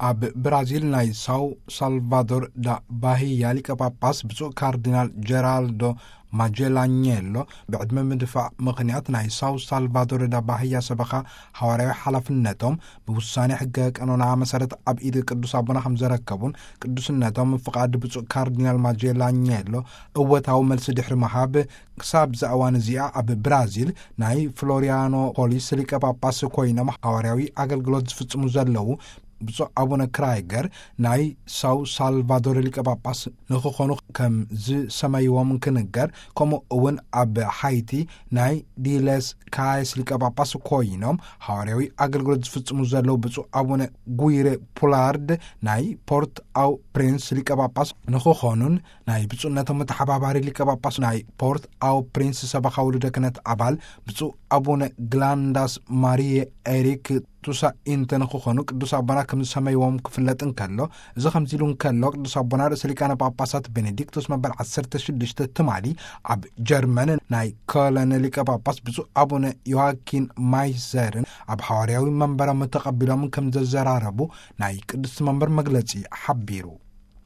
ኣብ ብራዚል ናይ ሳው ሳልቫዶር ዳ ባሂያ ሊቀ ጳጳስ ብፁዕ ካርዲናል ጀራልዶ ማጀላኘሎ ብዕድመ ምድፋእ ምኽንያት ናይ ሳው ሳልቫዶር ዳ ባሂያ ሰበኻ ሃዋርያዊ ሓላፍነቶም ብውሳኔ ሕገ ቀኖና መሰረት ኣብ ኢድ ቅዱስ ኣቦና ከም ዘረከቡን፣ ቅዱስነቶም ፍቓድ ብፁዕ ካርዲናል ማጀላኘሎ እወታዊ መልሲ ድሕሪ ምሃብ፣ ክሳብ እዛ እዋን እዚኣ ኣብ ብራዚል ናይ ፍሎሪያኖፖሊስ ሊቀ ጳጳስ ኮይኖም ሃዋርያዊ ኣገልግሎት ዝፍጽሙ ዘለዉ ብፁዕ ኣቡነ ክራይገር ናይ ሳው ሳልቫዶር ሊቀ ጳጳስ ንክኾኑ ከም ዝሰመይዎም ክንገር፣ ከምኡ እውን ኣብ ሓይቲ ናይ ዲለስ ካይስ ሊቀ ጳጳስ ኮይኖም ሃዋርያዊ ኣገልግሎት ዝፍጽሙ ዘለዉ ብፁዕ ኣቡነ ጉይሬ ፑላርድ ናይ ፖርት ኣው ፕሪንስ ሊቀ ጳጳስ ንክኾኑን፣ ናይ ብፁዕነቶም ተሓባባሪ ሊቀ ጳጳስ ናይ ፖርት ኣው ፕሪንስ ሰበኻ ውሉደ ክህነት ኣባል ብፁዕ ኣቡነ ግላንዳስ ማሪየ ኤሪክ ቱሳ ኢንተ ንክኾኑ ቅዱስ ኣቦና ከም ዝሰመይዎም ክፍለጥ እንከሎ፣ እዚ ከምዚ ኢሉ እንከሎ፣ ቅዱስ ኣቦና ርእሰ ሊቃነ ጳጳሳት ቤኔዲክቶስ መበል ዓሰርተ ሽዱሽተ ትማሊ ኣብ ጀርመን ናይ ኮለን ሊቀ ጳጳስ ብፁዕ ኣቡነ ዮሃኪን ማይዘርን ኣብ ሓዋርያዊ መንበሮም ተቐቢሎም ከም ዘዘራረቡ ናይ ቅዱስ መንበር መግለጺ ሓቢሩ።